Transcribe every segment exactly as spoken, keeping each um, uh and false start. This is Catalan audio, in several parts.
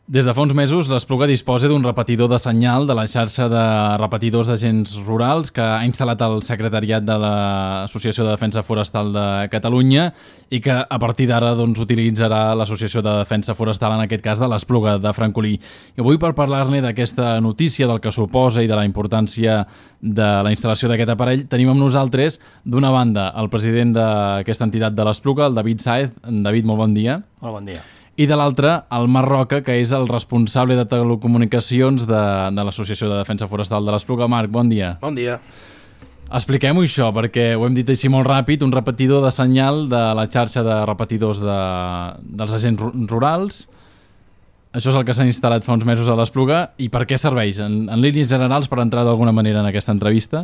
Des de fa uns mesos, l'Espluga disposa d'un repetidor de senyal de la xarxa de repetidors d'agents rurals que ha instal·lat el secretariat de l'Associació de Defensa Forestal de Catalunya i que a partir d'ara doncs, utilitzarà l'Associació de Defensa Forestal, en aquest cas de l'Espluga de Francolí. I avui, per parlar-ne d'aquesta notícia, del que suposa i de la importància de la instal·lació d'aquest aparell, tenim amb nosaltres, d'una banda, el president d'aquesta entitat de l'Espluga, el David Sáez. David, molt bon dia. Molt bon dia. I de l'altre, el Marc Roca, que és el responsable de telecomunicacions de, de l'Associació de Defensa Forestal de l'Espluga. Marc, bon dia. Bon dia. Expliquem-ho això, perquè ho hem dit així molt ràpid, un repetidor de senyal de la xarxa de repetidors de, dels agents rurals. Això és el que s'ha instal·lat fa uns mesos a l'Espluga. I per què serveix? En, en línies generals, per entrar d'alguna manera en aquesta entrevista,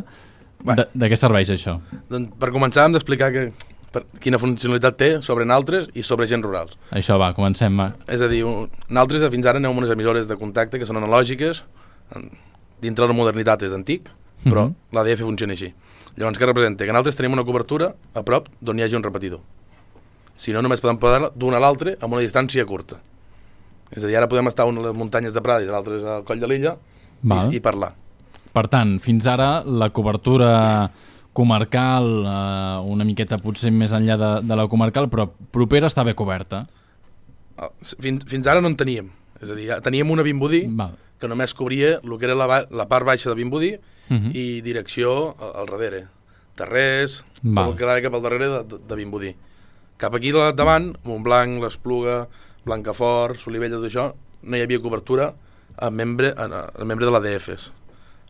bueno, de, de què serveix això? Doncs per començar hem d'explicar que per quina funcionalitat té sobre naltres i sobre agents rurals. Això va, comencem, Marc. És a dir, naltres fins ara anem amb unes emissores de contacte que són analògiques, dintre de la modernitat és antic, però mm-hmm. l'A D F funciona així. Llavors, què representa? Que naltres tenim una cobertura a prop d'on hi hagi un repetidor. Si no, només podem poder d'un a l'altre amb una distància curta. És a dir, ara podem estar a una de les muntanyes de Prades i l'altre al coll de l'illa i, i parlar. Per tant, fins ara la cobertura comarcal, eh, una miqueta potser més enllà de, de la comarcal, però propera està bé coberta. Fins, fins ara no en teníem. És a dir, teníem una Vimbodí Val. que només cobria el que era la, la part baixa de Vimbodí uh-huh. i direcció al darrere. Terrers, Val. tot el que quedava cap al darrere de, de, de Vimbodí. Cap aquí davant, Montblanc, l'Espluga, Blancafort, Solivella, tot això, no hi havia cobertura a membre, a, a membre de l'A D Fs.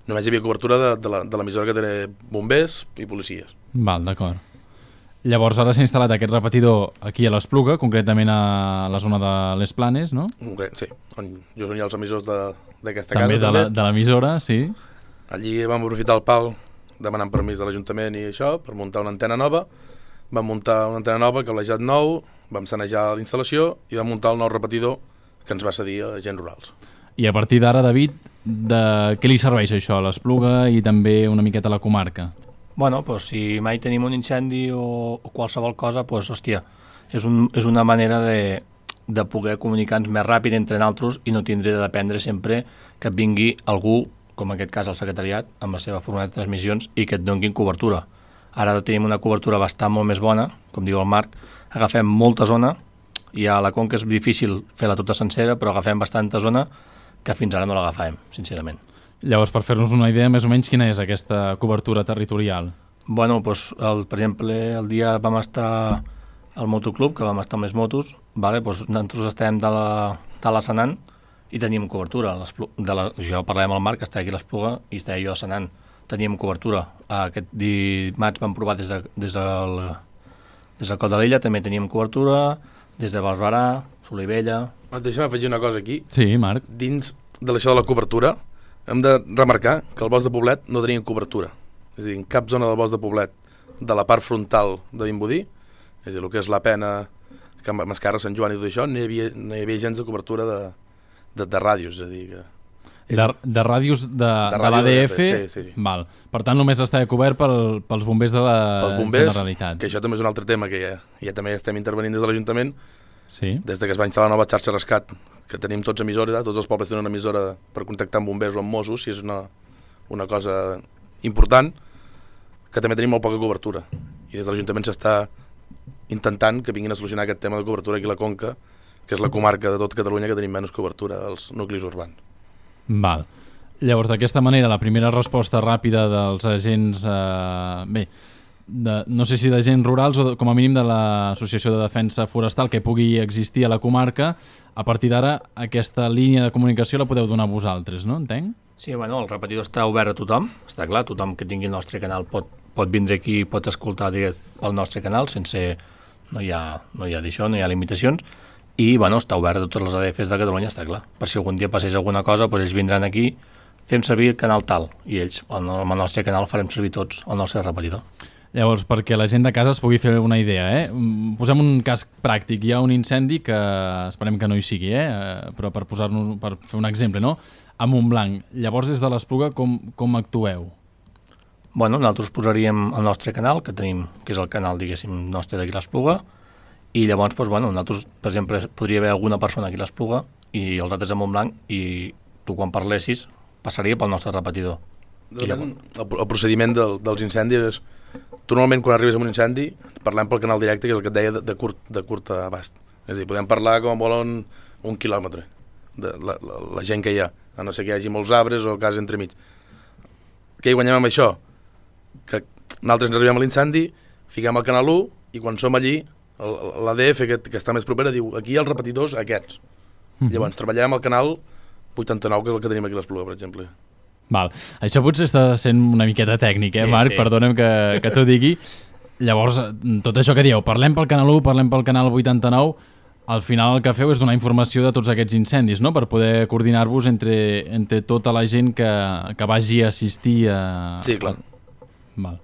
Només hi havia cobertura de, de, la, de l'emissora que té bombers i policies. Val, d'acord. Llavors ara s'ha instal·lat aquest repetidor aquí a l'Espluga, concretament a la zona de les Planes, no? Sí, on jo són ja els emissors d'aquesta casa. També de, la, de l'emissora, sí. Allí vam aprofitar el pal demanant permís de l'Ajuntament i això per muntar una antena nova. Vam muntar una antena nova, cablejat nou, vam sanejar l'instal·lació i vam muntar el nou repetidor que ens va cedir a agents rurals. I a partir d'ara, David, de què li serveix això a l'Espluga i també una miqueta a la comarca? Bueno, pues, si mai tenim un incendi o, o qualsevol cosa, pues, hòstia, és, un, és una manera de, de poder comunicar-nos més ràpid entre nosaltres i no tindre de dependre sempre que et vingui algú, com en aquest cas el secretariat, amb la seva fórmula de transmissions i que et donguin cobertura. Ara tenim una cobertura bastant molt més bona, com diu el Marc, agafem molta zona, i a la Conca és difícil fer-la tota sencera, però agafem bastanta zona que fins ara no l'agafàvem, sincerament. Llavors, per fer-nos una idea, més o menys, quina és aquesta cobertura territorial? Bueno, doncs, el, per exemple, el dia vam estar al motoclub, que vam estar amb les motos, vale? Doncs nosaltres estem de la, de la Senan i teníem cobertura. De la, jo parlàvem amb el Marc, que està aquí a l'Espluga, i estava jo a Senan. Teníem cobertura. Aquest dimarts vam provar des, de, des, del, des del Cot de l'Illa, també teníem cobertura, des de Barberà, Solivella... Deixa'm afegir una cosa aquí. Sí, Marc. Dins de l'això de la cobertura, hem de remarcar que el bosc de Poblet no tenien cobertura. És a dir, en cap zona del bosc de Poblet, de la part frontal de Vimbodí, és a dir, el que és la Pena, Can Mascarra, Sant Joan i tot això, no hi havia, no hi havia gens de cobertura de, de, de ràdios, és a dir, que... És... De, de ràdios de, de, de l'A D F? Sí, sí. Val. Per tant, només està cobert pel, pels bombers de la pels bombers, Generalitat. Que això també és un altre tema que ja, ja també estem intervenint des de l'Ajuntament. Sí. Des de que es va instal·lar la nova xarxa Rescat, que tenim tots emissores, tots els pobles tenen una emissora per contactar amb bombers o amb Mossos, si és una, una cosa important, que també tenim molt poca cobertura. I des de l'Ajuntament s'està intentant que vinguin a solucionar aquest tema de cobertura aquí a la Conca, que és la comarca de tot Catalunya que tenim menys cobertura als nuclis urbans. Val. Llavors, d'aquesta manera, la primera resposta ràpida dels agents... Eh, bé, de, no sé si d'agents rurals o de, com a mínim de l'Associació de Defensa Forestal que pugui existir a la comarca, a partir d'ara aquesta línia de comunicació la podeu donar vosaltres, no? Entenc? Sí, bueno, el repetidor està obert a tothom, està clar, tothom que tingui el nostre canal pot, pot vindre aquí i pot escoltar direct pel nostre canal, sense... no hi ha, no hi ha d'això, no hi ha limitacions, i bueno, està obert a totes les A D Fs de Catalunya, està clar. Per si algun dia passés alguna cosa, doncs ells vindran aquí, fem servir el canal tal, i ells, amb el nostre canal, farem servir tots el nostre repetidor. Llavors, perquè la gent de casa es pugui fer una idea, eh? Posem un cas pràctic. Hi ha un incendi que esperem que no hi sigui, eh? Però per posar-nos, per fer un exemple, no? A Montblanc. Llavors, des de l'Espluga, com, com actueu? Bueno, nosaltres posaríem el nostre canal, que tenim, que és el canal, diguéssim, nostre d'aquí l'Espluga, i llavors, doncs, bueno, nosaltres, per exemple, podria haver alguna persona aquí a l'Espluga i els altres en Montblanc, i tu quan parlessis passaria pel nostre repetidor. El, el procediment del, dels incendis és, tu normalment quan arribes a un incendi parlem pel canal directe, que és el que et deia de, de, curt, de curt abast. És a dir, podem parlar com volen un quilòmetre de la, la, la gent que hi ha, a no ser que hi hagi molts arbres o cases entremig. Què hi guanyem amb això? Que nosaltres arribem a l'incendi, fiquem el canal u i quan som allí l'A D F que, que està més propera diu aquí hi ha els repetidors aquests. Mm-hmm. Llavors treballem el canal vuitanta-nou, que és el que tenim aquí a l'Espluga, per exemple. Val. Això potser està sent una miqueta tècnic, eh, sí, Marc? Sí. Perdona'm que, que t'ho digui. Llavors, tot això que dieu, parlem pel canal u, parlem pel canal vuitanta-nou, al final el que feu és donar informació de tots aquests incendis, no?, per poder coordinar-vos entre, entre tota la gent que, que vagi a assistir a... Sí, clar. Val.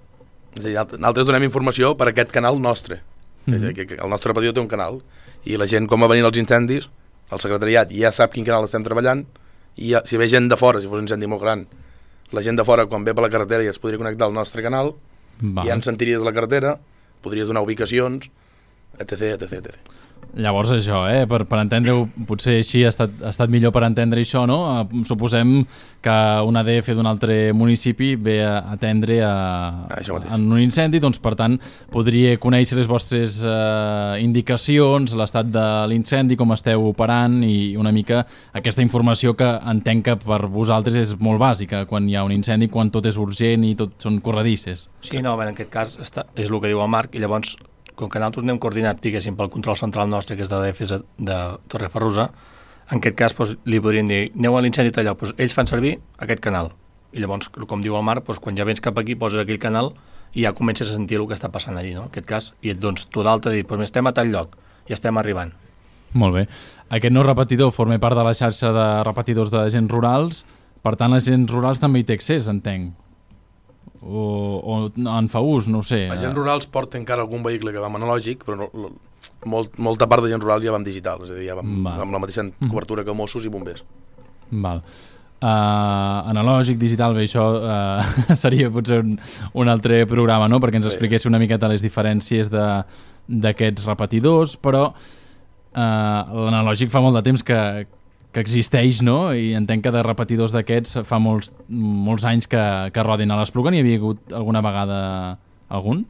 És a dir, nosaltres donem informació per aquest canal nostre. Mm-hmm. És a dir, que el nostre repetidor té un canal i la gent, com va venir els incendis, el secretariat ja sap quin canal estem treballant i ja, si ve gent de fora, si fos un incendi molt gran, la gent de fora quan ve per la carretera ja es podria connectar al nostre canal. Val. Ja ens sentiries la carretera, podries donar ubicacions, etc, etc, etcètera. Llavors això, eh? per, per entendre-ho, potser així ha estat, ha estat millor per entendre això, no? Suposem que un A D F d'un altre municipi ve a atendre a, ah, en un incendi, doncs per tant podria conèixer les vostres eh, indicacions, l'estat de l'incendi, com esteu operant i una mica aquesta informació que entenc que per vosaltres és molt bàsica quan hi ha un incendi, quan tot és urgent i tot són corredisses. Sí, no, en aquest cas està, és el que diu el Marc, i llavors com que nosaltres anem coordinat, diguéssim, pel control central nostre, que és de l'A D F de Torreferrusa, en aquest cas doncs, li podrien dir, aneu a l'incendi d'allò, doncs, ells fan servir aquest canal. I llavors, com diu el Marc, doncs, quan ja vens cap aquí, poses aquell canal i ja comences a sentir el que està passant allí, no? En aquest cas, i et dones tu d'alta i dir, doncs estem a tal lloc, i estem arribant. Molt bé. Aquest nou repetidor forma part de la xarxa de repetidors d'agents rurals, per tant, agents rurals també hi té accés, entenc. O, o en fa ús, no ho sé. Agents rurals porta encara algun vehicle que va amb analògic, però no, molt, molta part d'agents rurals ja va amb digital, és a dir, ja va amb, amb la mateixa cobertura que Mossos i bombers. Val. Uh, analògic, digital, bé, això uh, seria potser un, un altre programa, no?, perquè ens expliqués una miqueta les diferències d'aquests repetidors, però uh, l'analògic fa molt de temps que que existeix, no? I entenc que de repetidors d'aquests fa molts, molts anys que, que rodin a l'Espluga. N'hi havia hagut alguna vegada algun?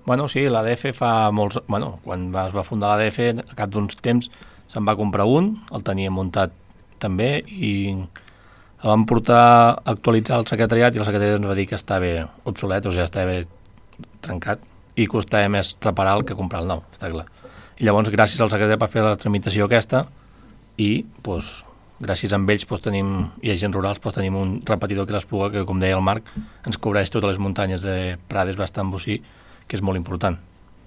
Bueno, sí, l'A D F fa molts... Bueno, quan es va fundar l'A D F, a cap d'uns temps se'n va comprar un, el tenia muntat també, i el vam portar a actualitzar el secretariat i el secretariat ens va dir que estava obsolet, o sigui, estava trencat, i costava més reparar el que comprar el nou, està clar. I llavors, gràcies al secretariat per fer la tramitació aquesta, i doncs, gràcies a ells doncs, tenim, i agents rurals doncs, tenim un repetidor que l'Espluga, que com deia el Marc ens cobreix totes les muntanyes de Prades, bastant bocí, que és molt important.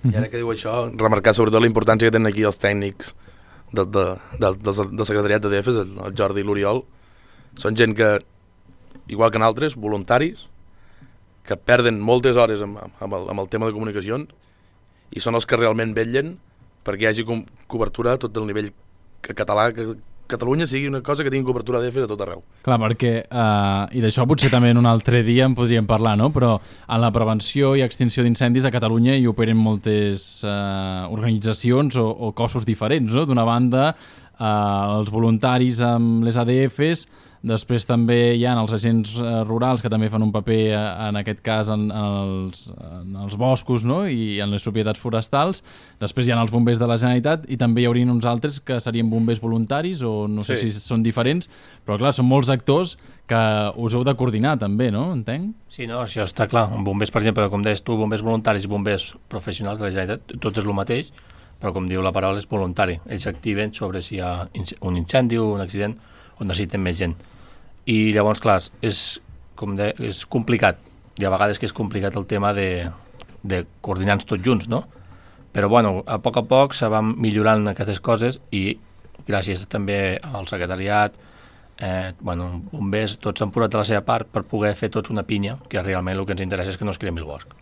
I ara que diu això, remarcar sobretot la importància que tenen aquí els tècnics de, de, de, de, del secretariat de D F, el, el Jordi i l'Oriol. Són gent que, igual que nosaltres, voluntaris, que perden moltes hores amb, amb, el, amb el tema de comunicacions i són els que realment vetllen perquè hi hagi com, cobertura a tot el nivell que català, que Catalunya sigui una cosa que tingui cobertura d'A D F de tot arreu. Clar, perquè, uh, i d'això potser també en un altre dia en podríem parlar, no? Però en la prevenció i extinció d'incendis a Catalunya hi operen moltes uh, organitzacions o, o cossos diferents, no? D'una banda, uh, els voluntaris amb les A D Fs, després també hi ha els agents uh, rurals que també fan un paper, uh, en aquest cas, en, en, els, en els boscos, no? I en les propietats forestals. Després hi ha els bombers de la Generalitat i també hi haurien uns altres que serien bombers voluntaris o no sé sí. si són diferents, però clar, són molts actors que us heu de coordinar també, no? Entenc? Sí, no, això està clar. Bombers, per exemple, com deies tu, bombers voluntaris i bombers professionals de la Generalitat, tot és el mateix, però com diu la paraula és voluntari. Ells s'activen sobre si hi ha un incendi o un accident on necessiten més gent. I llavors, clar, és, com de, és complicat. Hi ha vegades que és complicat el tema de, de coordinar-nos tots junts, no? Però, bueno, a poc a poc se van millorant aquestes coses i gràcies també al secretariat, eh, bueno, bombers, tots han posat de la seva part per poder fer tots una pinya, que realment el que ens interessa és que no es cremi el bosc.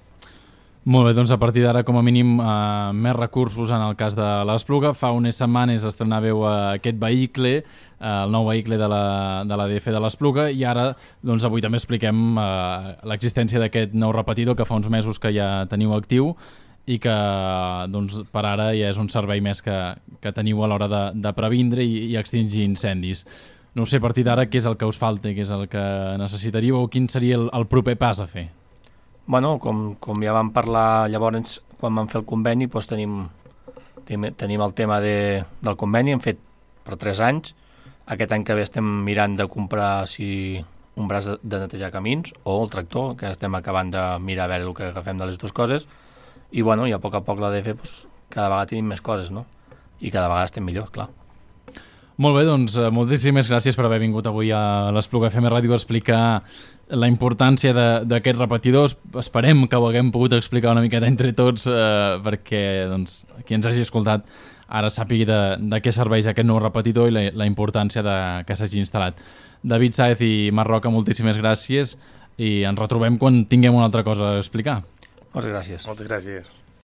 Molt bé, doncs a partir d'ara, com a mínim, eh, més recursos en el cas de l'Espluga. Fa unes setmanes estrenàveu eh, aquest vehicle, eh, el nou vehicle de la, de l'A D F de l'Espluga, i ara, doncs avui també expliquem eh, l'existència d'aquest nou repetidor que fa uns mesos que ja teniu actiu i que doncs, per ara ja és un servei més que, que teniu a l'hora de, de previndre i, i extingir incendis. No sé, a partir d'ara, què és el que us falta, què és el que necessitaríeu o quin seria el, el proper pas a fer? Bueno, com, com ja vam parlar llavors quan vam fer el conveni, doncs tenim, tenim, tenim el tema de, del conveni, hem fet per tres anys. Aquest any que ve estem mirant de comprar si un braç de, de netejar camins o el tractor, que estem acabant de mirar a veure el que agafem de les dues coses. I bueno, i a poc a poc l'A D F doncs, cada vegada tenim més coses, no? I cada vegada estem millor, clar. Molt bé, doncs moltíssimes gràcies per haver vingut avui a l'Espluga F M Ràdio a explicar la importància d'aquests repetidors. Esperem que ho haguem pogut explicar una miqueta entre tots eh, perquè doncs, qui ens hagi escoltat ara sàpigui de, de què serveix aquest nou repetidor i la, la importància de, que s'hagi instal·lat. David Sáez i Marc Roca, moltíssimes gràcies i ens retrobem quan tinguem una altra cosa a explicar. Moltes gràcies. Moltes gràcies.